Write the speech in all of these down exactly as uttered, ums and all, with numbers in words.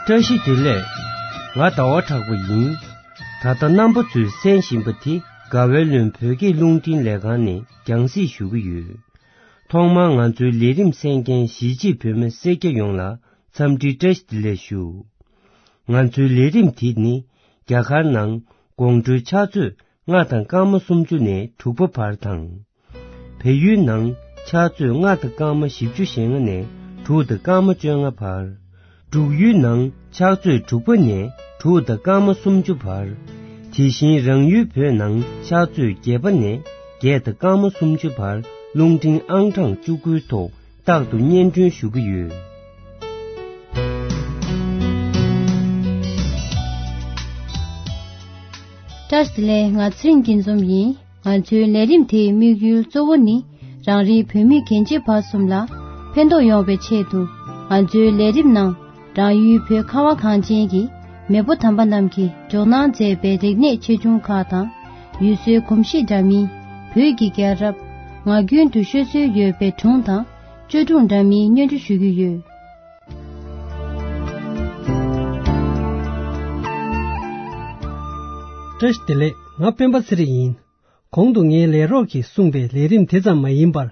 བཀྲ་ཤིས་བདེ་ལེགས། ང་ཟླ་བ་གྲགས་པ་ཡིན། ད་ལྟ་རྣམ་པ་ཚོས་གསན་བཞིན་པ་དེ་དགའ་བའི་ལུང་བོད་སྐད་རླུང་འཕྲིན་ལས་ཁང་ནས་རྒྱང་སྲིང་ཞུ་གི་ཡོད། ཐོག་མར་ང་ཚོའི་ལས་རིམ་གསན་མཁན་གཞིས་བྱེས་བོད་མི་སེར་སྐྱ་ཡོངས་ལ་འཚམས་འདྲི་བཀྲ་ཤིས་བདེ་ལེགས་ཞུ། ང་ཚོའི་ལས་རིམ་དེ་ནི་རྒྱ་གར་ནང་དགོང་དྲོའི་ཕྱག་ཚོད་ལྔ་དང་སྐར་མ་སུམ་ཅུ་ནས་དྲུག་པ་བར་དང་། བལ་ཡུལ་ནང་ཕྱག་ཚོད་ལྔ་དང་སྐར་མ་བཞི་བཅུ་ཞེ་ལྔ་ནས་དྲུག་དང་སྐར་མ་བཅོ་ལྔ་བར། འབྲུག་ཡུལ་ནང་ཕྱག་ཚོད་དྲུག་པ་ནས་དྲུག་དང་སྐར་མ་སུམ་ཅུ་བར། དེ་བཞིན་རང་ཡུལ་བོད་ནང་ཕྱག་ཚོད་བརྒྱད་པ་ནས་བརྒྱད་དང་སྐར་མ་སུམ་ཅུ་བར་རླུང་འཕྲིན་ཨང་གྲངས་བཅུ་དགུའི་ཐོག་རྟག་ཏུ་སྙན་སྒྲོན་ཞུ་གི་ཡོད། བཀྲ་ཤིས་བདེ་ལེགས། ང་ཚེ་རིང་སྐྱིད་འཛོམས་ཡིན། ང་ཚོའི་ལས་རིམ་དེའི་དམིགས་ཡུལ་གཙོ་བོ་ནི་རང་རེའི་བོད་མི་རྒན་བྱིས་བར་གསུམ་ལ་ཕན་ཐོགས་ཡོང་བའི་ཆེད་དུ། ང་ཚོའི་ལས་རིམ་ནང་རང་ཡུལ་བོད་ཁ་བ་གངས་ཅན་གྱི་མེས་པོ་དམ་པ་རྣམས་ཀྱིས་འཇོག་གནང་མཛད་པའི་རིག་གནས་ཆེ་ཆུང་ཁག་དང་། ཡུལ་སྲོལ་གོམས་གཤིས་འདྲ་མིན། བོད་ཀྱི་རྒྱལ་རབས། ངག་རྒྱུན་དུ་ཤོད་སྲོལ་ཡོད་པའི་སྒྲུང་དང་བཅོས་སྒྲུང་འདྲ་མིན་སྙན་སྒྲོན་ཞུ་རྒྱུ་ཡོད། བཀྲ་ཤིས་བདེ་ལེགས། ང་སྤེན་པ་ཚེ་རིང་ཡིན། གོང་དུ་ངའི་ལས་རོགས་ཀྱིས་གསུངས་པའི་ལས་རིམ་དེ་ཙམ་མ་ཡིན་པར།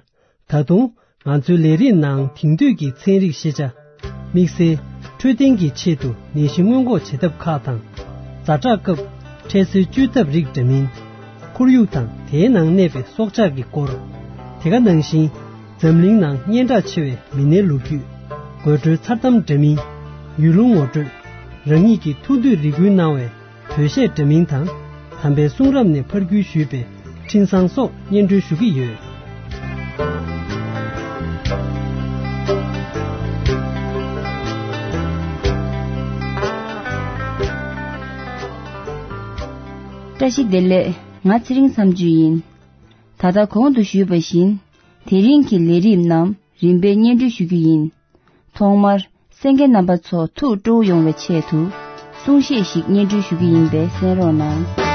ད་དུང་ང་ཚོའི་ལས་རིམ་ནང་དེང་དུས་ཀྱི་ཚན་རིག་ཤེས་བྱ། དམིགས་བསལ་འཕྲོད་བསྟེན་གྱི་ཆེད་དུ་ནད་གཞི་སྔོན་འགོག་བྱེད་ཐབས་ཁག་དང་། ཛ་དྲག་སྐབས་འཕྲལ་སེལ་བཅོས་ཐབས་རིགས་འདྲ་མིན། ཁོར་ཡུག་དང་དེའི་ནང་གནས་པའི་སྲོག་ཆགས་ཀྱི་སྐོར། དེ་ག་ནང་བཞིན་འཛམ་གླིང་ནང་སྙན་གྲགས་ཆེ་བའི་མི་སྣའི་ལོ་རྒྱུས། དགོད་བྲོའི་མཚར་གཏམ་འདྲ་མིན། ཡུལ་ལུང་ངོ་སྤྲོད། རང་ཉིད་ཀྱི་ཐུགས་འདོད་རེ་སྐུལ་གནང་བའི་བོད་གཞས་འདྲ་མིན་དང་། དམ་པའི་གསུང་རབ་ནས་ཕར་བརྒྱུད་ཞུས་པའི་འཕྲིན་བཟང་སོགས་སྙན་སྒྲོན་ཞུ་གི་ཡོད། བཀྲ་ཤིས་བདེ་ལེགས། ང་ཚེ་རིང་བསམ་བརྗོད་ཡིན། ད་ལྟ་གོང་དུ་ཞུས་པ་བཞིན། དེ་རིང་གི་ལས་རིམ་རྣམས་རིམ་པས་སྙན་སྒྲོན་ཞུ་རྒྱུ་ཡིན། ཐོག་མར་གསན་མཁན་རྣམ་པ་ཚོ་ཐུགས་སྤྲོ་བོ་ཡོང་བའི་ཆེད་དུ་གསུང་བཤད་ཞིག་སྙན་སྒྲོན་ཞུ་རྒྱུ་ཡིན་པས་གསན་རོགས་གནང་།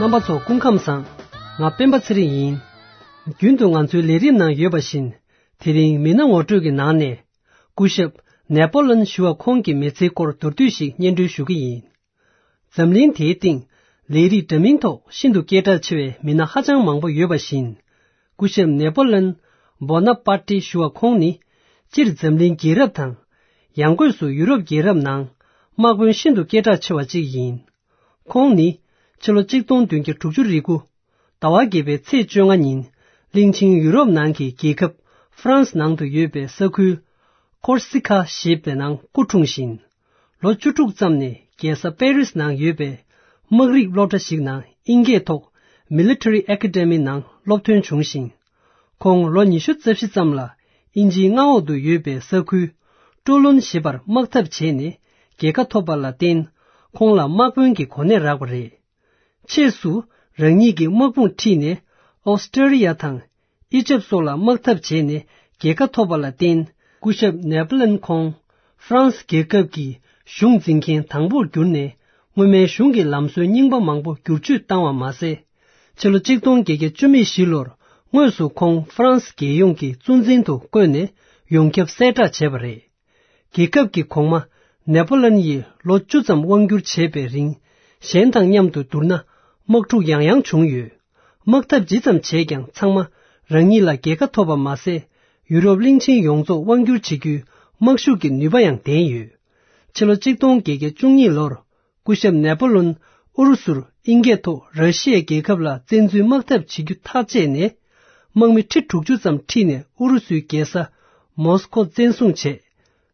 རྣམ་པ་ཚོ་སྐུ་ཁམས་བཟང་། ང་སྤེན་པ་ཚེ་རིང་ཡིན། རྒྱུན་དུ་ང་ཚོའི་ལས་རིམ་ནང་ཡོད་པ་བཞིན། དེ་རིང་མི་སྣ་ངོ་སྤྲོད་ཀྱི་ནང་ནས། སྐུ་ཞབས་ནེ་པོ་ལོན་ཞུ་བ་ཁོང་གི་མི་ཚེའི་སྐོར་མདོར་བསྡུས་ཤིག་སྙན་སྒྲོན་ཞུ་གི་ཡིན། འཛམ་གླིང་དེའི་སྟེང་ལས་རིགས་འདྲ་མིན་ཐོག་ཤིན་ཏུ་སྐད་གྲགས་ཆེ་བའི་མི་སྣ་ཧ་ཅང་མང་པོ་ཡོད་པ་བཞིན། སྐུ་ཞབས་ནེ་པོ་ལོན་བོ་ན་པར་ཏི་ཞུ་བ་ཁོང་ནི། སྤྱིར་འཛམ་གླིང་རྒྱལ་རབས་དང་། ཡང་སྒོས་སུ་ཡུ་རོབ་རྒྱལ་རབས་ནང་དམག་དཔོན་ཤིན་ཏུ་སྐད་གྲགས་ཆེ་བ་གཅིག་ཡིན། ཁོང་ནི་ཕྱི་ལོ་གཅིག་སྟོང་བདུན་བརྒྱ་དྲུག་ཅུ་རེ་དགུ་ཟླ་བ་བརྒྱད་པའི་ཚེས་བཅོ་ལྔ་ཉིན་གླིང་ཆེན་ཡུ་རོབ་ནང་གི་རྒྱལ་ཁབ་ཧྥ་རན་སི་ནང་དུ་ཡོད་པའི་ས་ཁུལ་ཀོར་སི་ཁ་ཞེས་པའི་ནང་སྐུ་འཁྲུངས་ཤིང་། ལོ་བཅུ་དྲུག་ཙམ་ནས་རྒྱལ་ས་པེ་རིས་ནང་ཡོད་པའི་དམག་རིགས་སློབ་གྲྭ་ཞིག་ནང་དབྱིན་སྐད་ཐོག་Military Academy ནང་སློབ་ཐོན་བྱུང་ཞིང་། ཁོང་ལོ་ཉི་ཤུ་རྩ་བཞི་ཙམ་ལ་དབྱིན་ཇིའི་མངའ་འོག་ཏུ་ཡོད་པའི་ས་ཁུལ་ཀྲོ་ལུན་ཞེས་པར་དམག་འཐབ་བྱས་ནས་རྒྱལ་ཁ་ཐོབ་པ་ལ་བརྟེན། ཁོང་ལ་དམག་དཔོན་གྱི་གོ་གནས་རག་པ་རེད། ཕྱིས་སུ་རང་ཉིད་ཀྱི་དམག་དཔུང་ཁྲིད་ནས་ཨོ་སི་ཀྲི་ཡ་དང་ཨི་ཇེབ་སོགས་ལ་དམག་འཐབ་བྱས་ནས་རྒྱལ་ཁ་ཐོབ་པ་ལ་བརྟེན། སྐུ་ཞབས་ནེ་པོ་ལན་ཁོང་ཧྥ་རན་སི་རྒྱལ་ཁབ་ཀྱི་གཞུང་འཛིན་མཁན་དང་པོར་གྱུར་ནས། སྔོན་མའི་གཞུང་གི་ལམ་སྲོལ་རྙིང་པ་མང་པོ་བསྒྱུར་བཅོས་བཏང་བ་མ་ཟད། ཕྱི་ལོ་གཅིག་སྟོང་བརྒྱད་བརྒྱ་བཅུ་མེད་བཞི་ལོར་དངོས་སུ་ཁོང་ཧྥ་རན་སི་རྒྱལ་ཡོངས་ཀྱི་གཙོ་འཛིན་དུ་བསྐོས་ནས་ཡོངས་ཁྱབ་གསལ་བསྒྲགས་བྱས་པ་རེད། རྒྱལ་ཁབ་ཀྱི་གོང་མ་ནེ་པོ་ལན་ཡིས་ལོ་བཅུ་ཙམ་དབང་བསྒྱུར་བྱས་པའི་རིང་། གཞན་དང་མཉམ་དུ་བསྡུར་ན་དམག་འཁྲུག་ཡང་ཡང་བྱུང་ཡོད། དམག་འཐབ་ཇི་ཙམ་བྱས་ཀྱང་ཚང་མ་རང་ཉིད་ལ་རྒྱལ་ཁ་ཐོབ་པ་མ་ཟད། ཡུ་རོབ་གླིང་ཆེན་ཡོངས་རྫོགས་དབང་བསྒྱུར་བྱེད་རྒྱུའི་དམག་ཤུགས་ཀྱི་ནུས་པ་ཡང་ལྡན་ཡོད། ཕྱི་ལོ་གཅིག་སྟོང་བརྒྱད་བརྒྱ་བཅུ་གཉིས་ལོར། སྐུ་ཞབས་ནེ་པོ་ལོན་ཨུ་རུ་སུར་དབྱིན་སྐད་ཐོག་ར་ཤི་ཡའི་རྒྱལ་ཁབ་ལ་བཙན་འཛུལ་དམག་འཐབ་བྱེད་རྒྱུ་ཐག་བཅད་ནས། དམག་མི་ཁྲི་དྲུག་ཅུ་ཙམ་ཁྲིད་ནས་ཨུ་རུ་སུའི་རྒྱལ་ས་མོ་སི་ཀོ་བཙན་བཟུང་བྱས།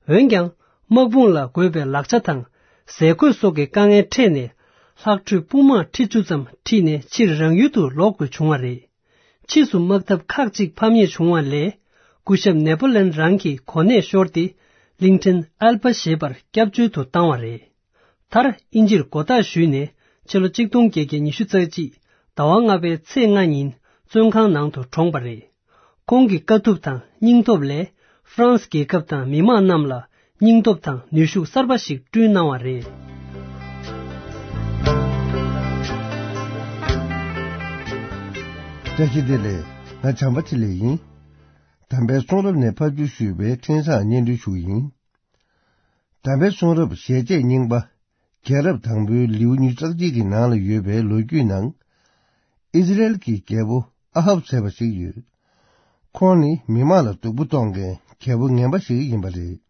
འོན་ཀྱང་། དམག་དཔུང་ལ་དགོས་པའི་ལག་ཆ་དང་ཟས་གོས་སོགས་ཀྱི་དཀའ་ངལ་འཕྲད་ནས། ལྷག་འཕྲོས་དཔུང་དམག་ཁྲི་བཅུ་ཙམ་ཁྲིད་ནས་ཕྱིར་རང་ཡུལ་དུ་ལོག་དགོས་བྱུང་བ་རེད། ཕྱིས་སུ་དམག་འཐབ་ཁག་ཅིག་ཕམ་ཉེས་བྱུང་བ་ལས། སྐུ་ཞབས་ནེ་པོ་ལན་རང་གི་གོ་གནས་ཤོར་ཏེ། གླིང་ཕྲན་ཨལ་པ་ཞེས་པར་སྐྱབས་བཅོལ་དུ་བཏང་བ་རེད། མཐར་དབྱིན་ཇིར་མགོ་བཏགས་ཞུས་ནས་ཕྱི་ལོ་གཅིག་སྟོང་བརྒྱད་བརྒྱ་ཉི་ཤུ་རྩ་གཅིག་ཟླ་བ་ལྔ་པའི་ཚེས་ལྔ་ཉིན་བཙོན་ཁང་ནང་དུ་གྲོངས་པ་རེད། ཁོང་གི་དཀའ་ཐུབ་དང་སྙིང་སྟོབས་ལས་ཧྥ་རན་སི་རྒྱལ་ཁབ་དང་མི་དམངས་རྣམས་ལ་སྙིང་སྟོབས་དང་ནུས་ཤུགས་གསར་པ་ཞིག་བསྐྲུན་གནང་བ་རེད། བཀྲ་ཤིས་བདེ་ལེགས། ང་བྱམས་པ་ཆེ་ལེགས་ཡིན། དམ་པའི་གསུང་རབ་ནས་ཕབ་བསྒྱུར་ཞུས་པའི་འཕྲིན་བཟང་སྙན་སྒྲོན་ཞུ་གི་ཡིན། དམ་པའི་གསུང་རབ་ཞལ་ཆད་རྙིང་པ། རྒྱལ་རབས་དང་པོའི་ལེའུ་ཉི་ཤུ་རྩ་གཅིག་གི་ནང་ལ་ཡོད་པའི་ལོ་རྒྱུས་ནང་། ཨིས་ར་ཨེལ་གྱི་རྒྱལ་པོ་ཨ་ཧབ་ཟེར་བ་ཞིག་ཡོད། ཁོང་ནི་མི་མང་ལ་སྡུག་པོ་གཏོང་མཁན་རྒྱལ་པོ་ངན་པ་ཞིག་ཡིན་པ་རེད།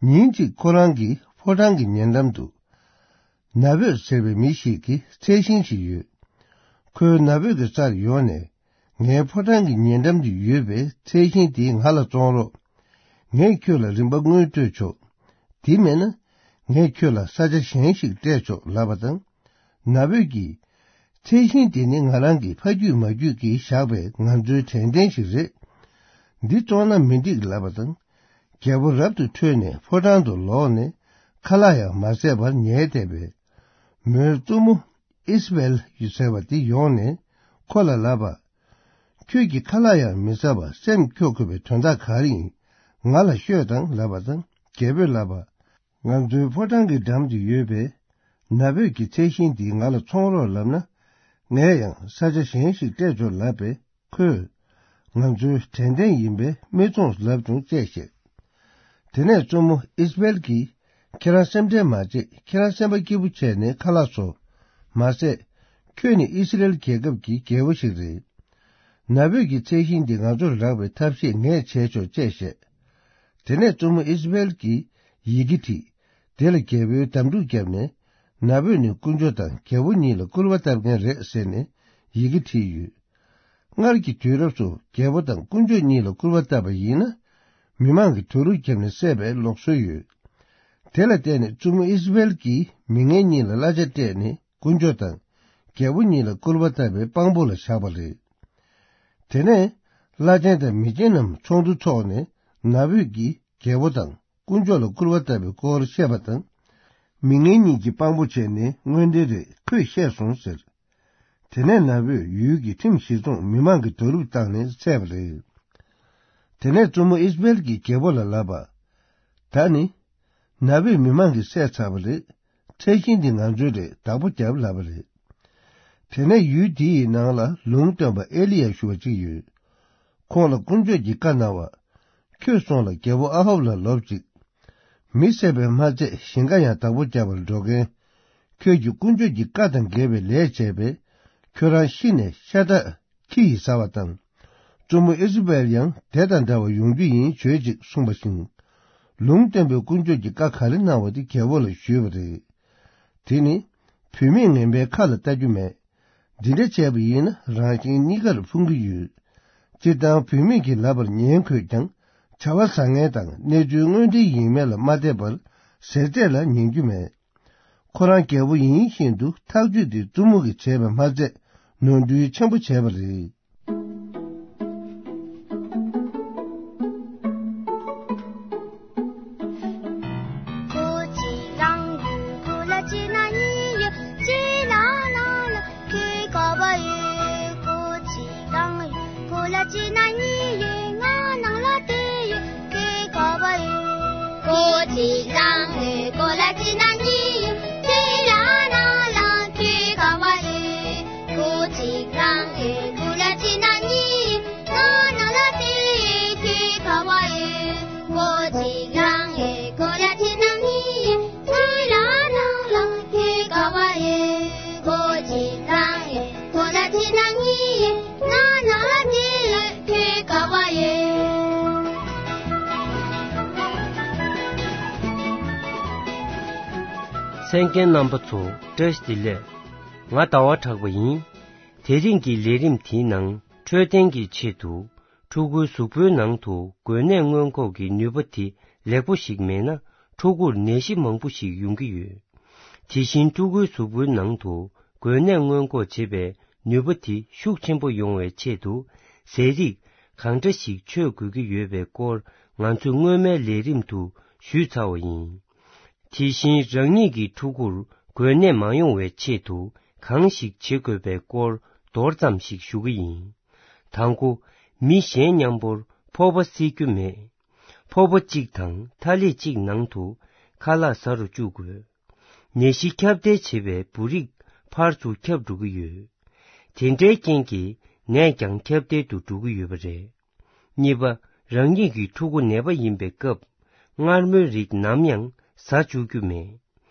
ཉིན་གཅིག་ཁོ་རང་གི་ཕོ་བྲང་གི་ཉེ་འགྲམ་དུ། ན་བོད་ཟེར་བའི་མི་ཞིག་གི་ཚལ་ཞིང་ཞིག་ཡོད། ཁོས་ན་བོད་ཀྱི་སར་ཡོང་ནས། ངའི་ཕོ་བྲང་གི་ཉེ་འགྲམ་དུ་ཡོད་པའི་ཚལ་ཞིང་དེ་ང་ལ་བཙོང་རོགས། ངས་ཁྱོད་ལ་རིན་པ་དངུལ་སྤྲོད་ཆོག། དེ་མེད་ན། ངས་ཁྱོད་ལ་ས་ཆ་གཞན་ཞིག་སྤྲད་ཆོག་ལབ་པ་དང་། ན་བོད་ཀྱིས། ཚལ་ཞིང་དེ་ནི་ང་རང་གི་ཕ་རྒྱུད་མ་རྒྱུད་ཀྱིས་བཞག་པའི་ང་ཚོའི་དྲན་རྟེན་ཞིག་རེད། འདི་བཙོང་ན་མི་འགྲིག་ལབ་པ་དང་། རྒྱལ་པོ་རབ་ཏུ་ཁྲོས་ནས་ཕོ་བྲང་དུ་ལོག་ནས་ཁ་ལག་ཡང་མ་ཟས་པར་ཉལ་བསྡད་པས། མོའི་བཙུན་མོ་ཨིས་བེལ་ཟེར་བ་དེ་ཡོང་ནས་ཁོ་ལ་ལབ་པ། ཁྱོད་ཀྱིས་ཁ་ལག་ཡང་མི་ཟ་བར་སེམས་སྐྱོ་དགོས་པའི་དོན་དག་ག་རེ་ཡིན། ང་ལ་ཤོད་དང་ལབ་པ་དང་རྒྱལ་པོས་ལབ་པ། ང་ཚོའི་ཕོ་བྲང་གི་འགྲམ་དུ་ཡོད་པའི་ན་བོད་ཀྱི་ཚལ་ཞིང་འདི་ང་ལ་ཚོང་རོགས་ལབ་ན། ངས་ཡང་ས་ཆ་གཞན་ཞིག་སྤྲད་ཆོག་ལབ་པས་ཁོས། ང་ཚོའི་དྲན་རྟེན་ཡིན་པས་མི་བཙོང་ལབ་བྱུང་ཅེས་བཤད། དེ་ནས་བཙུན་མོ་ཨིས་བེལ་གྱིས་ཁྱེད་རང་སེམས་ཁྲལ་མ་བྱེད། ཁྱེད་རང་སེམས་པ་སྐྱིད་པོ་བྱས་ནས་ཁ་ལག་བཟོ། མ་ཟད། ཁྱོད་ནི་ཨིས་ར་ཨེལ་རྒྱལ་ཁབ་ཀྱི་རྒྱལ་པོ་ཞིག་རེད། ན་བོད་ཀྱི་ཚལ་ཞིང་འདི་ང་ཚོར་རག་པའི་ཐབས་ཤེས་ངས་བྱས་ཆོག་ཅེས་བཤད། དེ་ནས་བཙུན་མོ་ཨིས་བེལ་གྱིས་ཡི་གེ་བྲིས། དེ་ལ་རྒྱལ་པོའི་འདམ་ཕྲུག་བརྒྱབ་ནས། ན་བོད་ནི་དཀོན་མཆོག་དང་རྒྱལ་པོ་གཉིས་ལ་སྐུར་བ་བཏབ་མཁན་རེད་ཟེར་ནས་ཡི་གེ་བྲིས་ཡོད། སྔར་གྱི་དུས་རབས་སུ་རྒྱལ་པོ་དང་དཀོན་མཆོག་གཉིས་ལ་སྐུར་བ་བཏབ་པ་ཡིན་ན། མི་མང་གིས་དུ་རུ་བརྒྱབ་ནས་བསད་པའི་ལུགས་སྲོལ་ཡོད། དེ་ལ་བརྟེན་ནས་བཙུན་མོ་ཨིས་བེལ་གྱིས་མི་ངན་གཉིས་ལ་གླ་ཆ་སྤྲད་ནས་དཀོན་མཆོག་དང་རྒྱལ་པོ་གཉིས་ལ་སྐུར་བ་བཏབ་པའི་དཔང་པོ་ལ་བཞག་པ་རེད། དེ་ནས་བླ་ཆེན་དང་མི་ཆེན་རྣམས་ཚོགས་འདུ་འཚོགས་ནས་ན་བོད་ཀྱིས་རྒྱལ་པོ་དང་དཀོན་མཆོག་ལ་སྐུར་བ་བཏབ་པའི་སྐོར་བཤད་པ་དང་། མི་ངན་གཉིས་ཀྱི་དཔང་པོ་བྱས་ནས་དངོས་འབྲེལ་རེད། ཁོས་བཤད་སོང་ཟེར། དེ་ནས་ན་བོད་ཡུལ་གྱི་ཁྲིམས་གཞི་བཟུང་མི་མང་གིས་རྡོ་རུབ་བཏང་ནས་བསད་པ་རེད། དེ་ནས་བཙུན་མོ་ཨིས་བེལ་གྱིས་རྒྱལ་པོ་ལ་ལབ་པ། ད་ནི། ན་བོད་མི་མང་གིས་བསད་ཚར་བ་རེད། ཚལ་ཞིང་འདི་ང་ཚོའི་རེད། བདག་པོ་རྒྱབ་ལབ་པ་རེད། དེ་ནས་ཡུལ་དེའི་ནང་ལ་ལུང་སྟོན་པ་ཨེ་ལི་ཡ་ཞུ་བ་གཅིག་ཡོད། ཁོང་ལ་དཀོན་མཆོག་གིས་བཀའ་གནང་བ། ཁྱོད་སོང་ལ་རྒྱལ་པོ་ཨ་ཧབ་ལ་ལབ་ཅིག། མི་བསད་པས་མ་ཚད་ཞིང་ཁ་ཡང་བདག་པོ་རྒྱབ་པར་འགྲོ་མཁན། ཁྱོད་ཀྱིས་དཀོན་མཆོག་གི་བཀའ་དང་འགལ་བའི་ལས་བྱས་པས། ཁྱོད་རང་ཤི་ནས་ཤ་ཁྲག་ཁྱི་ཡིས་ཟ་བ་དང་། བཙུན་མོ་ཨེ་ཟི་བེལ་ཡང་དེ་དང་འདྲ་བ་ཡོང་རྒྱུ་ཡིན་བྱོས་ཅིག་གསུངས་པ་བཞིན། ལུང་སྟོན་པས་དཀོན་མཆོག་གི་བཀའ་ག་རེ་གནང་བ་དེ་རྒྱལ་པོ་ལ་ཞུས་པ་རེད། དེ་ནི། བུད་མེད་ངན་པའི་ཁ་ལ་ལྟ་རྒྱུ་མེད། འདི་འདྲ་བྱས་པ་ཡིན་ན་རང་གཞན་གཉིས་ཀར་ཕུང་གི་ཡོད། སྤྱིར་བཏང་བུད་མེད་ཀྱི་ལབ་པར་ཉན་དགོས་ཀྱང་། བྱ་བ་བཟང་ངན་དང་གནས་ཚུལ་དངོས་འབྲེལ་ཡིན་མིན་ལ་མ་བལྟས་པར་ཟས་བཅད་ལ་ཉན་རྒྱུ་མེད། ཁོ་རང་རྒྱལ་པོ་ཡིན་བཞིན་དུ་ཐག་གཅོད་དེ་བཙུན་མོ་གིས་བྱས་པ་མ་ཚད་ནོར་འཁྲུལ་ཆེན་པོ་བྱས་པ་རེད། གསན་མཁན་རྣམ་པ་ཚོ་བཀྲ་ཤིས་བདེ་ལེགས། ང་ཟླ་བ་གྲགས་པ་ཡིན། དེ་རིང་གི་ལས་རིམ་དེའི་ནང་འཕྲོད་བསྟེན་གྱི་ཆེད་དུ་ཕྲུ་གུའི་གཟུགས་པོའི་ནང་དུ་འགོས་ནད་སྔོན་འགོག་གི་ནུས་པ་དེ་ལེགས་པོ་ཞིག་མེད་ན་ཕྲུ་གུར་ནད་གཞི་མང་པོ་ཞིག་ཡོང་གི་ཡོད། དེ་བཞིན་ཕྲུ་གུའི་གཟུགས་པོའི་ནང་དུ་འགོས་ནད་སྔོན་འགོག་བྱེད་པའི་ནུས་པ་དེ་ཤུགས་ཆེན་པོ་ཡོང་བའི་ཆེད་དུ་ཟས་རིགས་གང་འདྲ་ཞིག་མཆོད་དགོས་ཀྱི་ཡོད་པའི་སྐོར་ང་ཚོས་སྔོན་མའི་ལས་རིམ་དུ་ཞུས་ཚར་བ་ཡིན། དེ་བཞིན་རང་ཉིད་ཀྱི་ཕྲུ་གུར་འགོས་ནད་མ་ཡོང་བའི་ཆེད་དུ་གང་ཞིག་བྱེད་དགོས་པའི་སྐོར་མདོར་ཙམ་ཞིག་ཞུ་གི་ཡིན། དང་པོ། མི་གཞན་མཉམ་པོར་ཕོར་པ་བསྲེག་རྒྱུ་མེད། ཕོར་པ་གཅིག་དང་ཐ་ལེ་གཅིག་ནང་དུ་ཁ་ལག་ཟ་རུ་བཅུག་དགོས། ནད་གཞི་ཁྱབ་གདལ་བྱེད་པའི་འབུ་རིགས་ཕར་ཚུར་ཁྱབ་འགྲོ་གི་ཡོད། དེ་འདྲའི་རྐྱེན་གྱིས་ནད་ཀྱང་ཁྱབ་གདལ་དུ་འགྲོ་གི་ཡོད་པ་རེད། གཉིས་པ། རང་ཉིད་ཀྱི་ཕྲུ་གུ་ནད་པ་ཡིན་པའི་སྐབས། མངར་མོའི་རིགས་ནམ་ཡང་ཟ་བཅུག་རྒྱུ་མེད།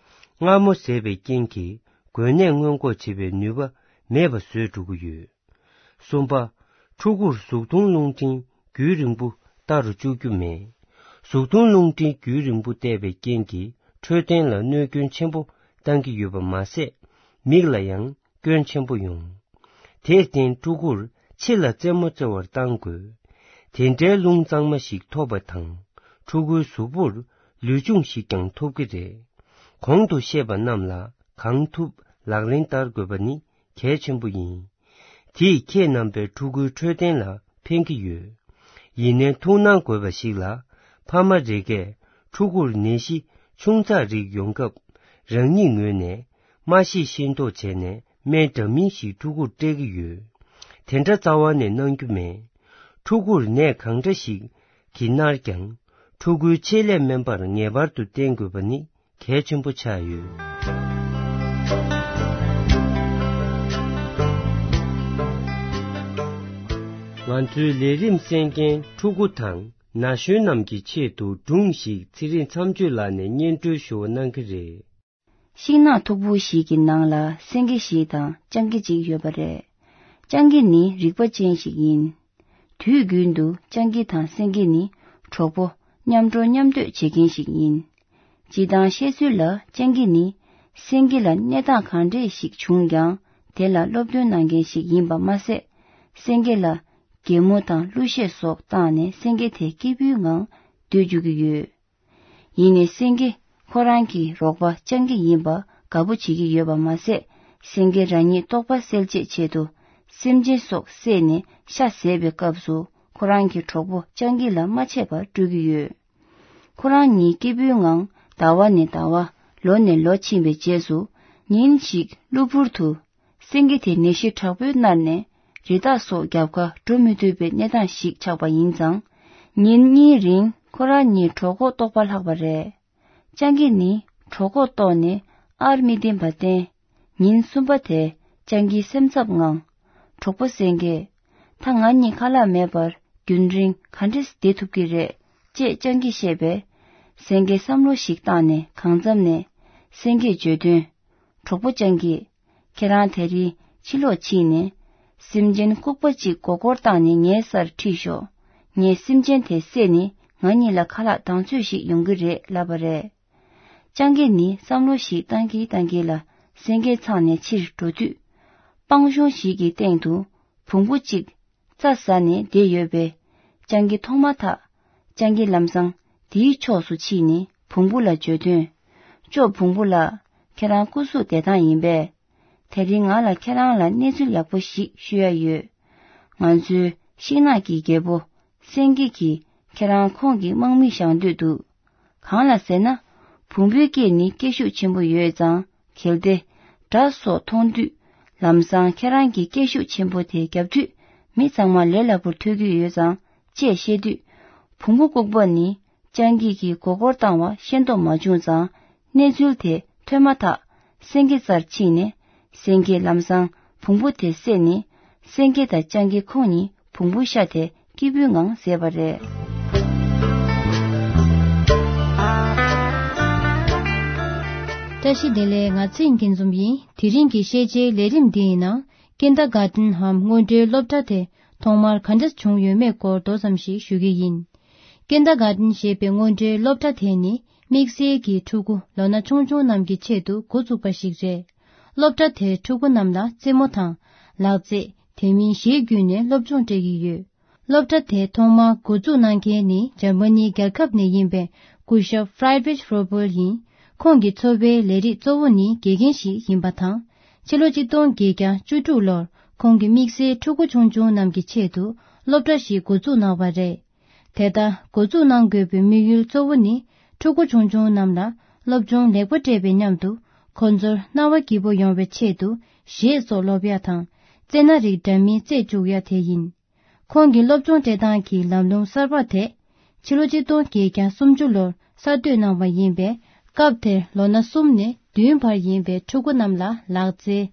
མངར་མོ་ཟས་པའི་རྐྱེན་གྱིས་འགོས་ནད་སྔོན་འགོག་བྱེད་པའི་ནུས་པ་མེད་པ་བཟོས་འགྲོ་གི་ཡོད། གསུམ་པ། ཕྲུ་གུར་གཟུགས་མཐོང་རླུང་འཕྲིན་རྒྱུན་རིང་པོ་བལྟ་རུ་བཅུག་རྒྱུ་མེད། གཟུགས་མཐོང་རླུང་འཕྲིན་རྒྱུན་རིང་པོ་བལྟས་པའི་རྐྱེན་གྱིས་འཕྲོད་བསྟེན་ལ་གནོད་སྐྱོན་ཆེན་པོ་བཏང་གི་ཡོད་པ་མ་ཟད། མིག་ལ་ཡང་སྐྱོན་ཆེན་པོ་ཡོང་། དེར་བརྟེན་ཕྲུ་གུར་ཕྱི་ལ་རྩེད་མོ་རྩེ་བར་བཏང་དགོས། དེ་འདྲའི་རླུང་གཙང་མ་ཞིག་ཐོབ་པ་དང་ཕྲུ་གུའི་གཟུགས་པོར་ལུས་སྦྱོང་ཞིག་ཀྱང་ཐོབ་ཀྱི་རེད། གོང་དུ་བཤད་པ་རྣམས་ལ་གང་ཐུབ་ལག་ལེན་བསྟར་དགོས་པ་ནི་གལ་ཆེན་པོ་ཡིན། དེས་ཁྱེད་རྣམ་པའི་ཕྲུ་གུའི་འཕྲོད་བསྟེན་ལ་ཕན་གྱི་ཡོད། ཡིན་ནའི་ཐུགས་སྣང་དགོས་པ་ཞིག་ལ། ཕ་མ་རེ་འགས་ཕྲུ་གུར་ནད་གཞི་ཆུང་ཙག་རིགས་ཡོང་སྐབས་རང་ཉིད་ངོས་ནས་མ་ཤེས་ཤེས་མདོག་བྱས་ནས་སྨན་འདྲ་མིན་ཞིག་ཕྲུ་གུར་སྤྲད་ཀྱི་ཡོད། དེ་འདྲ་རྩ་བ་ནས་གནང་རྒྱུ་མེད། ཕྲུ་གུར་ནད་གང་འདྲ་ཞིག་གིས་མནར་ཀྱང་། ཕྲུ་གུའི་ཆེད་ལས་སྨན་པར་ངེས་པར་དུ་བསྟེན་དགོས་པ་ནི་གལ་ཆེན་པོ་ཆགས་ཡོད། ང་ཚོའི་ལས་རིམ་གསན་མཁན་ཕྲུ་གུ་དང་ན་གཞོན་རྣམས་ཀྱི་ཆེད་དུ་སྒྲུང་ཞིག་ཚེ་རིང་མཚམས་གཅོད་ལགས་ནས་སྙན་སྒྲོན་ཞུ་བ་གནང་གི་རེད། ཤིང་ནགས་མཐུག་པོ་ཞིག་གི་ནང་ལ་སེང་གེ་ཞིག་དང་སྤྱང་ཀི་ཅིག་ཡོད་པ་རེད། སྤྱང་ཀི་ནི་རིག་པ་ཅན་ཞིག་ཡིན། དུས་རྒྱུན་དུ་སྤྱང་ཀི་དང་སེང་གེ་ནི་གྲོགས་པོ་མཉམ་འགྲོ་མཉམ་སྡོད་བྱེད་མཁན་ཞིག་ཡིན། སྤྱིར་བཏང་བཤད་ཚུལ་ལ་སྤྱང་ཀི་ནི་སེང་གེ་ལ་གནས་སྟངས་གང་འདྲས་ཤིག་བྱུང་ཀྱང་དེ་ལ་སློབ་སྟོན་གནང་མཁན་ཞིག་ཡིན་པ་མ་ཟད། སེང་གེ་ལ་གད་མོ་དང་གླུ་གཞས་སོགས་བཏང་ནས་སེང་གེ་དེ་སྐྱིད་པོའི་ངང་སྡོད་བཅུག་གི་ཡོད། ཡིན་ནའི་སེང་གེ་ཁོ་རང་གི་རོགས་པ་སྤྱང་ཀི་ཡིན་པ་དགའ་པོ་བྱེད་ཀྱི་ཡོད་པ་མ་ཟད། སེང་གེ་རང་ཉིད་ལྟོགས་པ་སེལ་ཆེད་ཆེད་དུ་སེམས་ཅན་སོགས་བསད་ནས་ཤ་ཟས་པའི་སྐབས་སུ་ཁོ་རང་གི་གྲོགས་པོ་སྤྱང་ཀི་ལ་མ་ཆད་པར་སྤྲོད་ཀྱི་ཡོད། ཁོ་རང་གཉིས་སྐྱིད་པོའི་ངང་ཟླ་བ་ནས་ཟླ་བ། ལོ་ནས་ལོ་ཕྱིན་པའི་རྗེས་སུ། ཉིན་ཞིག་གློ་བུར་དུ། སེང་གེ་དེ་ནད་གཞི་དྲག་པོས་མནར་ནས། རི་དྭགས་སོགས་རྒྱབ་ཁར་འགྲོ་མི་ཐུབ་པའི་གནས་སྟངས་ཤིག་ཆགས་པ་ཡིན་ཙང་། ཉིན་གཉིས་རིང་ཁོ་རང་གཉིས་གྲོད་ཁོག་ལྟོགས་པ་ལྷག་པ་རེད། སྤྱང་ཀི་ནི་གྲོད་ཁོག་ལྟོགས་ནས་ཨར་མི་བརྟེན་པར་བརྟེན། ཉིན་གསུམ་པ་དེ་ སྤྱང་ཀིའི་སེམས་འཚབ་ངང་། གྲོགས་པོ་སེང་གེ། ད་ང་གཉིས་ཁ་ལག་མེད་པར་རྒྱུན་རིང་ག་འདྲས་བསྡད་ཐུབ་ཀྱི་རེད། ཅེས་སྤྱང་ཀིས་བཤད་པས། སེང་གེས་བསམ་བློ་ཞིག་བཏང་ནས་གང་འཚམ་ནས། སེང་གེས་བརྗོད་དོན། གྲོགས་པོ་སྤྱང་ཀི། ཁྱེད་རང་དེ་རིང་ཕྱི་ལོགས་ཕྱིན་ནས། སེམས་ཅན་ལྐུགས་པ་གཅིག་མགོ་སྐོར་བཏང་ནས་ངའི་སར་ཁྲིད་ཤོག་ངས་སེམས་ཅན་དེ་བསད་ནས་ང་གཉིས་ལ་ཁ་ལག་དང་ཚོད་ཞིག་ཡོང་གི་རེད་ལབ་པ་རེད། སྤྱང་ཀི་ནི་བསམ་བློ་ཞིག་བཏང་གིན་བཏང་གིན་ལ་སེང་གེ་ཚང་ནས་ཕྱིར་འགྲོ་དུས། སྤང་གཤོང་ཞིག་གི་སྟེང་དུ་བོང་བུ་གཅིག་རྩྭ་ཟ་ནས་བསྡད་ཡོད་པས། སྤྱང་ཀི་མཐོང་མ་ཐག་སྤྱང་ཀི་ལམ་སང་དེའི་ཕྱོགས་སུ་ཕྱིན་ནས་བོང་བུ་ལ་བརྗོད་དོན། ཅོ་བོང་བུ་ལགས། ཁྱེད་རང་སྐུ་གཟུགས་བདེ་ཐང་ཡིན་པས། དེ་རིང་ང་ལ་ཁྱེད་རང་ལ་གནས་ཚུལ་ཡག་པོ་ཞིག་ཞུ་ཡ་ཡོད། ང་ཚོའི་ཤིང་ནགས་ཀྱི་རྒྱལ་པོ་སེང་གེ་གིས་ཁྱེད་རང་ཁོང་གི་དམག་མི་བཞག་འདོད་འདུག་གང་ལ་ཟེར་ན། བོང་བུའི་སྐད་ནི་སྐད་ཤུགས་ཆེན་པོ་ཡོད་ཙང་། གལ་ཏེ་དགྲ་སོགས་མཐོང་དུས་ལམ་སང་ཁྱེད་རང་གི་སྐད་ཤུགས་ཆེན་པོ་དེ་བརྒྱབ་དུས་མི་ཚང་མ་ལས་སླ་པོར་ཐོས་ཀྱི་ཡོད་ཙང་ཅེས་བཤད་དུས། བོང་བུ་ལྐུགས་པ་ནི་སྤྱང་ཀི་གིས་མགོ་སྐོར་བཏང་བ་ཤེས་རྟོགས་མ་བྱུང་ཙང་། གནས་ཚུལ་དེ་ཐོས་མ་ཐག་སེང་གེ་རྩར་ཕྱིན་ནས། སེང་གེས་ལམ་སང་བོང་བུ་དེ་བསད་ནས། སེང་གེ་དང་སྤྱང་ཀི་ཁོང་གཉིས་བོང་བུ་ཤ་དེ་སྐྱིད་པོའི་ངང་བཟས་པ་རེད། བཀྲ་ཤིས་བདེ་ལེགས། ང་ཚེ་རིང་སྐྱིད་འཛོམས་ཡིན། དེ་རིང་གི་ཤེས་བྱའི་ལས་རིམ་འདི་ཡི་ནང་། ཀིན་ཌར་གྷར་ཌེན་འམ་སྔོན་འགྲོའི་སློབ་གྲྭ་དེ་ཐོག་མར་ག་འདྲ་བྱུང་ཡོད་མེད་སྐོར་མདོ་ཙམ་ཞིག་ཞུ་གི་ཡིན། ཀིན་ཌར་གྷར་ཌེན་ཞེས་པའི་སྔོན་འགྲོའི་སློབ་གྲྭ་དེ་ནི་དམིགས་བསལ་གྱི་ཕྲུ་གུ་ལོ་ན་ཆུང་ཆུང་རྣམས་ཀྱི་ཆེད་དུ་འགོ་བཙུགས་པ་ཞིག་རེད། སློབ་གྲྭ་དེར་ཕྲུ་གུ་རྣམས་ལ་རྩེད་མོ་དང་། ལག་རྩེད། དེ་མིན་གཞས་བརྒྱུད་ནས་སློབ་སྦྱོང་སྤྲད་ཀྱི་ཡོད། སློབ་གྲྭ་དེ་ཐོག་མར་འགོ་འཛུགས་གནང་མཁན་ནི་འཇར་མ་ནིའི་རྒྱལ་ཁབ་ནས་ཡིན་པའི་སྐུ་ཞབས་ཧྥ་རེད་རིག་ཧྲོ་པོལ་ཡིན། ཁོང་གི་འཚོ་བའི་ལས་རིགས་གཙོ་བོ་ནི་དགེ་རྒན་ཞིག་ཡིན་པ་དང་། ཕྱི་ལོ་ཆིག་སྟོང་བརྒྱད་བརྒྱ་བཅུ་དྲུག་ལོར་ཁོང་གིས་དམིགས་བསལ་ཕྲུ་གུ་ཆུང་ཆུང་རྣམས་ཀྱི་ཆེད་དུ་སློབ་གྲྭ་ཞིག་འགོ་འཛུགས་གནང་བ་རེད། དེ་ལྟར་འགོ་འཛུགས་གནང་དགོས་པའི་དམིགས་ཡུལ་གཙོ་བོ་ནི། ཕྲུ་གུ་ཆུང་ཆུང་རྣམས་ལ་སློབ་སྦྱོང་ལེགས་པོ་སྤྲད་པའི་མཉམ་དུ། ཁོ་ཚོར་རྣ་བ་སྐྱིད་པོ་ཡོང་བའི་ཆེད་དུ་གཞས་སོགས་སློབ་ཡ་དང་། རྩེད་སྣ་རིགས་འདྲ་མིན་རྩེད་བཅུག་ཡ་དེ་ཡིན། ཁོང་གི་སློབ་སྦྱོང་སྤྲད་སྟངས་ཀྱི་ལམ་ལུགས་གསར་པ་དེ། ཕྱི་ལོ་ཆིག་སྟོང་བརྒྱད་བརྒྱ་སུམ་ཅུ་ལོར་གསར་གཏོད་གནང་བ་ཡིན་པས། སྐབས་དེར་ལོ་ན་གསུམ་ནས་བདུན་བར་ཡིན་པའི་ཕྲུ་གུ་རྣམས་ལ་ལག་རྩལ།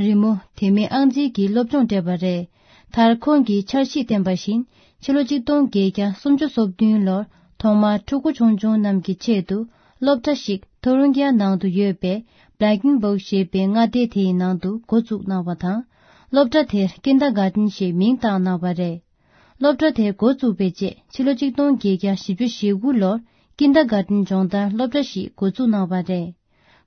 རི་མོ། དེ་མིན་ཨང་རྩིས་ཀྱི་སློབ་སྦྱོང་སྤྲད་པ་རེད། མཐར་ཁོང་གིས་འཆར་གཞི་བཏིང་བ་བཞིན། ཕྱི་ལོ་ཆིག་སྟོང་བརྒྱད་བརྒྱ་སུམ་ཅུ་སོ་བདུན་ལོར་ཐོག་མར་ཕྲུ་གུ་ཆུང་ཆུང་རྣམས་ཀྱི་ཆེད་དུ་སློབ་གྲྭ་ཞིག་ཐོ་རུང་ཀི་ཡ་ནང་དུ་ཡོད་པའི་Blankenburg་ཞེས་པའི་མངའ་སྡེ་དེའི་ནང་དུ་འགོ་བཙུགས་གནང་བ་དང་། སློབ་གྲྭ་དེར་ཀིན་ཌར་གྷར་ཌེན་ཞེས་མིང་བཏགས་གནང་བ་རེད། སློབ་གྲྭ་དེ་འགོ་བཙུགས་པའི་རྗེས། ཕྱི་ལོ་ཆིག་སྟོང་བརྒྱད་བརྒྱ་བཞི་བཅུ་ཞེ་དགུ་ལོར་ཀིན་ཌར་གྷར་ཌེན་སྦྱོང་བརྡར་སློབ་གྲྭ་ཞིག་འགོ་བཙུགས་གནང་བ་རེད།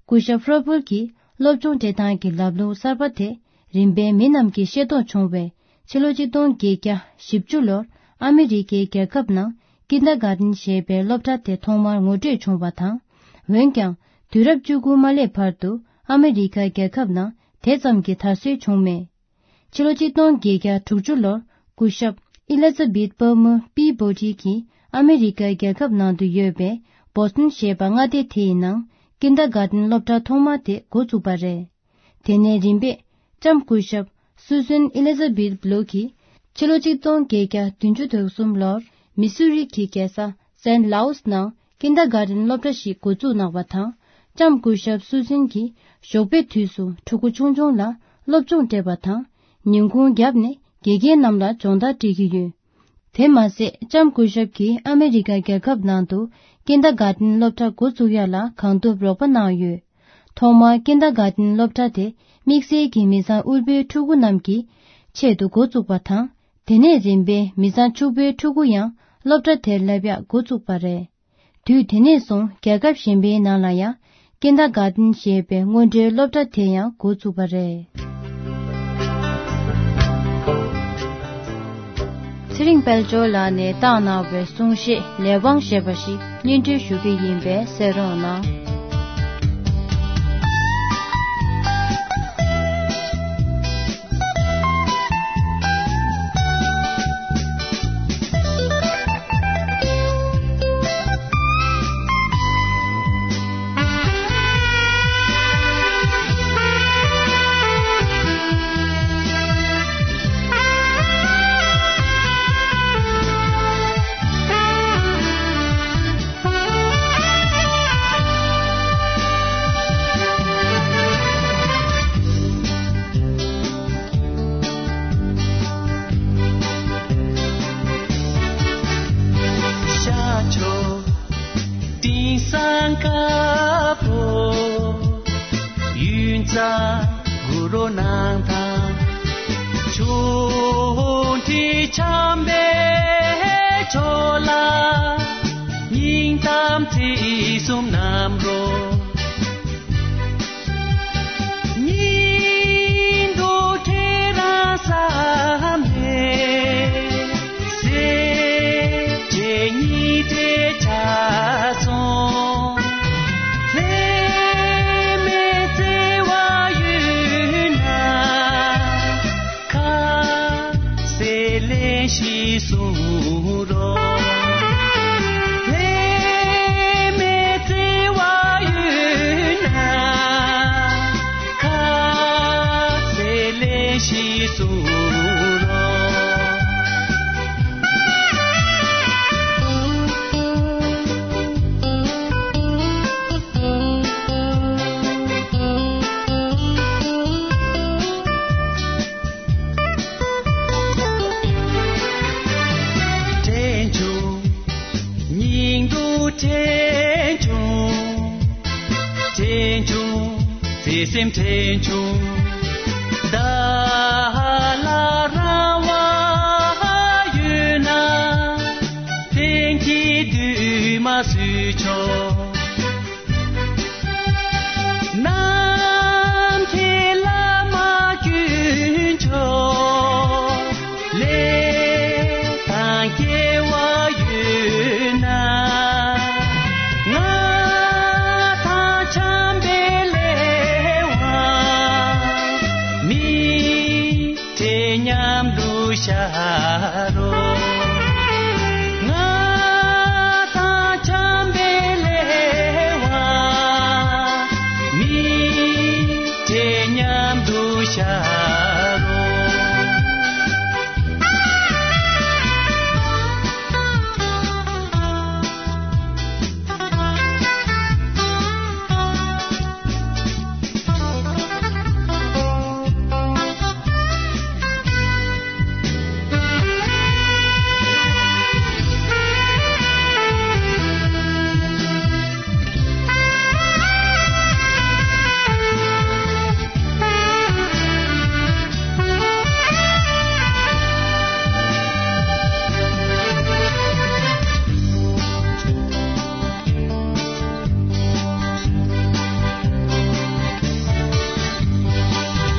སྐུ་ཞབས་ཧྲོ་པོལ་གྱིས་སློབ་སྦྱོང་སྤྲད་སྟངས་ཀྱི་ལམ་ལུགས་གསར་པ་དེ་རིམ་པས་མི་རྣམས་ཀྱིས་ཤེས་རྟོགས་བྱུང་བས། ཕྱི་ལོ་ཆིག་སྟོང་བརྒྱད་བརྒྱ་བཞི་བཅུ་ལོར་ཨ་མི་རི་ཀའི་རྒྱལ་ཁབ་ནང་ཀིན་ཌར་གྷར་ཌེན་ཞེས་པའི་སློབ་གྲྭ་དེ་ཐོག་མར་ངོ་སྤྲོད་བྱུང་བ་དང་། འོན་ཀྱང་། དུས་རབས་བཅུ་དགུ་མ་སླེབས་བར་དུ་ཨ་མི་རི་ཀ་རྒྱལ་ཁབ་ནང་དེ་ཙམ་གྱི་དར་སྲོལ་བྱུང་མེད། ཕྱི་ལོ་ཆིག་སྟོང་བརྒྱད་བརྒྱ་དྲུག་ཅུ་ལོར་སྐུ་ཞབས་ཨི་ལི་ཛ་བེད་པར་མར་པི་བྷོ་ཊི་གིས་ཨ་མི་རི་ཀའི་རྒྱལ་ཁབ་ནང་དུ་ཡོད་པའི་བོ་སི་ཊོན་ཞེས་པ་མངའ་སྡེ་དེ་ཡི་ནང་ཀིན་ཌར་གྷར་ཌེན་སློབ་གྲྭ་ཐོག་མ་དེ་འགོ་བཙུགས་པ་རེད། དེ་ནས་རིམ་པས་ལྕམ་སྐུ་ཞབས་སུ་སན་ཨི་ལི་ཛ་བེད་བྷ་ལོ་གིས་ཕྱི་ལོ་ཆིག་སྟོང་བརྒྱད་བརྒྱ་བདུན་ཅུ་དོན་གསུམ་ལོར་མི་སུ་རི་གི་རྒྱལ་ས་སན་ལའུ་སི་ནང་ཀིན་ཌར་གྷར་ཌེན་སློབ་གྲྭ་ཞིག་འགོ་བཙུགས་གནང་བ་དང་། ལྕམ་སྐུ་ཞབས་སུ་སན་གྱིས་ཞོགས་པའི་དུས་སུ་ཕྲུ་གུ་ཆུང་ཆུང་ལ་སློབ་སྦྱོང་སྤྲད་པ་དང་། ཉིན་གུང་བརྒྱབ་ནས་དགེ་རྒན་རྣམས་ལ་སྦྱོང་བརྡར་སྤྲད་ཀྱི་ཡོད། དེ་མ་ཟད། ལྕམ་སྐུ་ཞབས་ཀྱིས་ཨ་མི་རི་ཀ་རྒྱལ་ཁབ་ནང་དུ་ཀིན་ཌར་གྷར་ཌེན་སློབ་གྲྭ་འགོ་བཙུགས་ཡ་ལ་གང་ཐུབ་རོགས་པ་གནང་ཡོད། ཐོག་མར་ཀིན་ཌར་གྷར་ཌེན་སློབ་གྲྭ་དེ་དམིགས་བསལ་གྱི་མི་ཚང་དབུལ་པོའི་ཕྲུ་གུ་རྣམས་ཀྱི་ཆེད་དུ་འགོ་བཙུགས་པ་དང་། དེ་ནས་རིམ་པས་མི་ཚང་ཕྱུག་པོའི་ཕྲུ་གུ་ཡང་སློབ་གྲྭ་དེར་སླེབས་ཡག་འགོ་བཙུགས་པ་རེད། དུས་དེ་ནས་བཟུང་རྒྱལ་ཁབ་གཞན་པའི་ནང་ལ་ཡང་ཀིན་ཌར་གྷར་ཌེན་ཞེས་པའི་སྔོན་འགྲོའི་སློབ་གྲྭ་དེ་ཡང་འགོ་བཙུགས་པ་རེད། ཚེ་རིང་དཔལ་འབྱོར་ལགས་ནས་བཏང་གནང་བའི་གསུང་བཤད་ལས་དབང་ཞེས་པ་ཞིག་སྙན་སྒྲོན་ཞུ་གི་ཡིན་པས་གསན་རོགས་གནང་། ས་གུ་རུ་ནང་ཐང་ཆུང་ཁྲི་འཆམ་པའི་ཕྱོགས་ལ་སྙིང་གཏམ་ཚིག་གསུམ་རྣམ་རོལ། སྙིང་སྡུག་ཁྱེད་རང་བསམ་ནས། སེམས་ཅན་སྙིང་བྲལ་ཆགས་སོང་། ལྷད་མེད་བརྩེ་བ་ཡོད་ན། ཁ་ཟས་ལན་ཞིག་གསུང་རོགས། ལྷད་མེད་བརྩེ་བ་ཡོད་ན། ཁ་ཟས་ལན་ཞིག་གསུང་རོགས། དྲན་བྱུང་། སྙིང་སྡུག་དྲན་བྱུང་། དྲན་བྱུང་། བརྩེ་སེམས་དྲན་བྱུང་། བདག་ལ་རང་དབང་ཡོད་ན། གཏན་གྱི་འདུན་མ་བཟོས་ཆོག། ནམ་མཁའི་ལྷ་མོ་དཀོན་མཆོག། ལས་དང་སྐལ་བ་ཡོད་ན། ང་དང་འཆམ་པའི་ལས་དབང་། མི་ཚེ་མཉམ་དུ་བཞག་རོགས། ང་དང་འཆམ་པའི་ལས་དབང་། མི་ཚེ་མཉམ་དུ་བཞག་རོགས།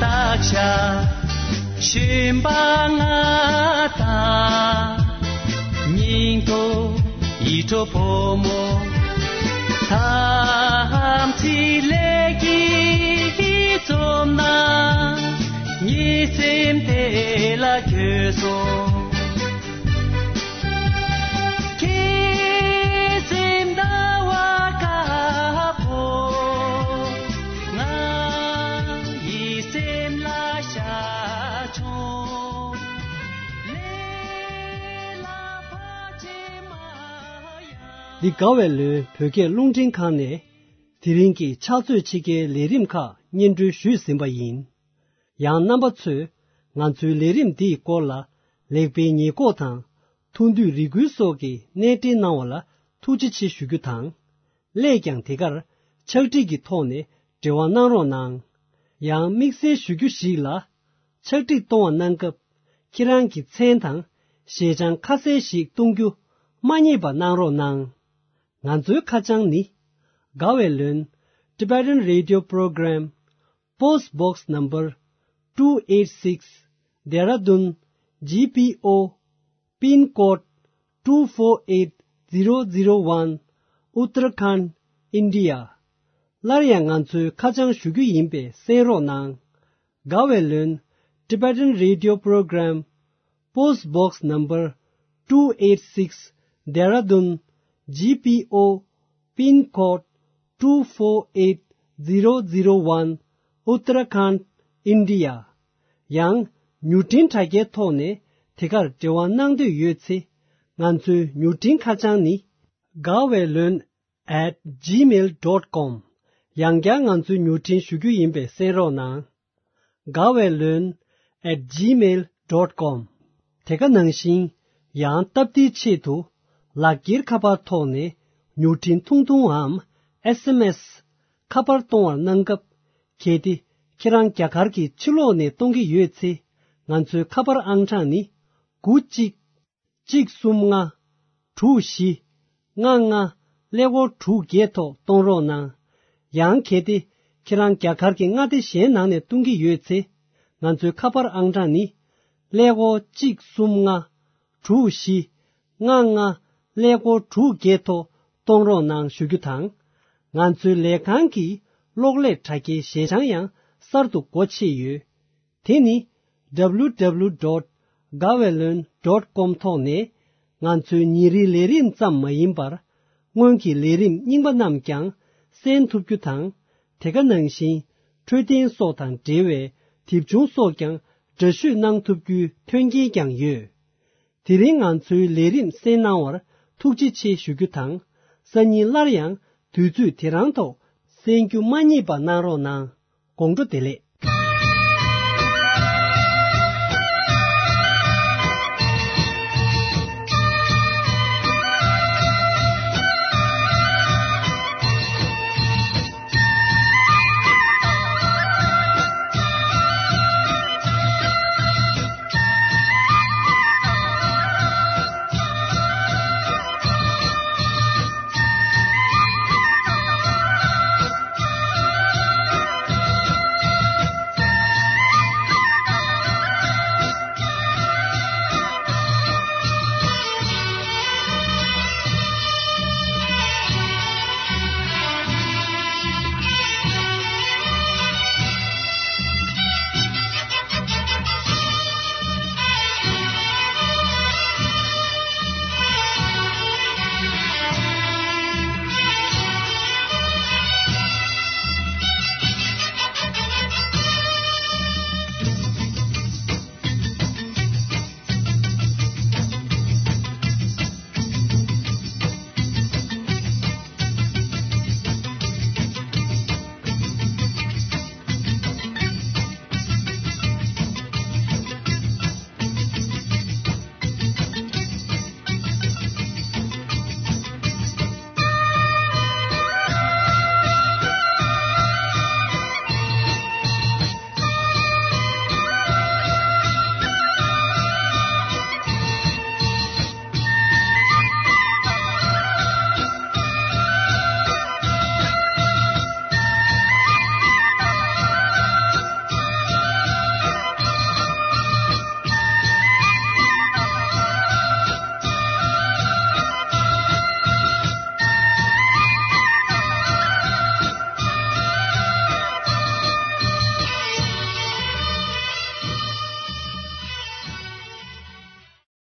བརྟག་བྱ་གཞོན་པ་ང་དང་། སྙིང་ཐོ་ཡིད་འཕྲོག་ཕོ་མོ། དམ་ཚིག་ལས་ཀྱིས་འཛོམས་ན། ངའི་སེམས་དེ་ལ་འགྱོད་སོང་། ཁྱེད་སེམས་ཟླ་བ་དཀར་པོ། ང་ཡི་སེམས་ལ་ཤར་བྱུང་། ལས་ལ་ཕར་ཕྱིན་མ་ཡང་། འདི་དགའ་བའི་ལོན་བོད་སྐད་རླུང་འཕྲིན་ཁང་ནས་དེ་རིང་གི་ཕྱག་ཚོད་ཕྱེད་ཀའི་ལས་རིམ་ཁག་སྙན་སྒྲོན་ཞུས་ཟིན་པ་ཡིན། ཡང་རྣམ་པ་ཚོས་ང་ཚོའི་ལས་རིམ་འདིའི་སྐོར་ལ་ལེགས་སྤེལ་ཉེས་འགོག་དང་། ཐུགས་འདོད་རེ་སྐུལ་སོགས་ཀྱི་གནས་འབྲེལ་གནང་བ་ལ་ཐུགས་རྗེ་ཆེ་ཞུ་རྒྱུ་དང་། སླད་ཀྱང་དེ་གར་ཕྱག་བྲིས་ཀྱི་ཐོག་ནས་འབྲེལ་བ་གནང་རོགས་གནང་། ཡང་དམིགས་བསལ་ཞུ་རྒྱུ་ཞིག་ལ། ཕྱག་བྲིས་གཏོང་བ་གནང་སྐབས་ཁྱེད་རང་གི་མཚན་དང་ཞལ་བྱང་ཁ་གསལ་ཞིག་གཏོང་རྒྱུ་མ་བསྙེལ་བ་གནང་རོགས་གནང་། ང་ཚོའི་ཁ་བྱང་ནི། དགའ་བའི་ལོན། Tibetan Radio Program, Post Box Number two eight six, Dehradun, G P O, Pin Code two four eight zero zero one, Uttarakhand, India. སླར་ཡང་ང་ཚོའི་ཁ་བྱང་ཞུ་རྒྱུ་ཡིན་པས་གསན་རོགས་གནང་། དགའ་བའི་ལོན། Tibetan Radio Program, Post Box Number two eight six, Dehradun, G P O, Pin Code two four eight zero zero one, Uttarakhand, India. ཡང་མྱུར་འཕྲིན་དྲ་རྒྱའི་ཐོག་ནས་དེ་གར་འབྲེལ་བ་གནང་འདོད་ཡོད་ཚེ། ང་ཚོའི་མྱུར་འཕྲིན་ཁ་བྱང་ནི། དགའ་བའི་ལོན། at gmail dot com། ཡང་བསྐྱར་ང་ཚོའི་མྱུར་འཕྲིན་ཞུ་རྒྱུ་ཡིན་པས་གསན་རོགས་གནང་། དགའ་བའི་ལོན། at gmail dot com། དེ་ག་ནང་བཞིན་ཡང་སྟབས་བདེའི་ཆེད་དུ་ལག་འཁྱེར་ཁ་པར་ཐོག་ནས་མྱུར་འཕྲིན་ཐུང་ཐུང་འམ་S M S ཁ་པར་གཏོང་བར་གནང་སྐབས། གལ་ཏེ་ ཁྱེད་རང་རྒྱ་གར་གྱི་ཕྱི་ལོགས་ནས་གཏོང་གི་ཡོད་ཚེ། ང་ཚོའི་ཁ་པར་ཨང་གྲངས་ནི། དགུ་གཅིག་གཅིག་གསུམ་ལྔ། དྲུག་བཞི། ལྔ་ལྔ། ཀླད་ཀོར་དྲུག་བརྒྱད་ཐོག་གཏོང་རོགས་གནང་། ཡང་གལ་ཏེ། ཁྱེད་རང་རྒྱ་གར་གྱི་མངའ་སྡེ་གཞན་ནང་ནས་གཏོང་གི་ཡོད་ཚེ། ང་ཚོའི་ཁ་པར་ཨང་གྲངས་ནི། ཀླད་ཀོར་གཅིག་གསུམ་ལྔ། དྲུག་བཞི། ལྔ་ལྔ། ཀླད་ཀོར་དྲུག་བརྒྱད་ཐོག་གཏོང་རོགས་གནང་ཞུ་རྒྱུ་དང་། ང་ཚོའི་ལས་ཁང་གི་གློག་ཀླད་དྲ་རྒྱའི་ཞལ་བྱང་ཡང་གསར་དུ་སྒོ་ཕྱེ་ཡོད། དེ་ནི། W W W dot gaweylon dot com ཐོག་ནས། ང་ཚོའི་ཉིན་རེའི་ལས་རིམ་ཙམ་མ་ཡིན་པར། སྔོན་གྱི་ལས་རིམ་རྙིང་པ་རྣམས་ཀྱང་གསན་ཐུབ་རྒྱུ་དང་། དེ་ག་ནང་བཞིན། འཕྲོད་བསྟེན་སོགས་དང་འབྲེལ་བའི་དེབ་ཆུང་སོགས་ཀྱང་འདྲ་བཤུས་གནང་ཐུབ་རྒྱུའི་མཐུན་རྐྱེན་ཀྱང་ཡོད། དེ་རིང་ང་ཚོའི་ལས་རིམ་གསན་གནང་བར་ཐུགས་རྗེ་ཆེ་ཞུ་རྒྱུ་དང་། སང་ཉིན་སླར་ཡང་དུས་ཚོད་དེ་རང་ཐོག་གསན་རྒྱུ་མ་བསྙེལ་བ་གནང་རོགས་གནང་། དགོང་དྲོ་བདེ་ལེགས།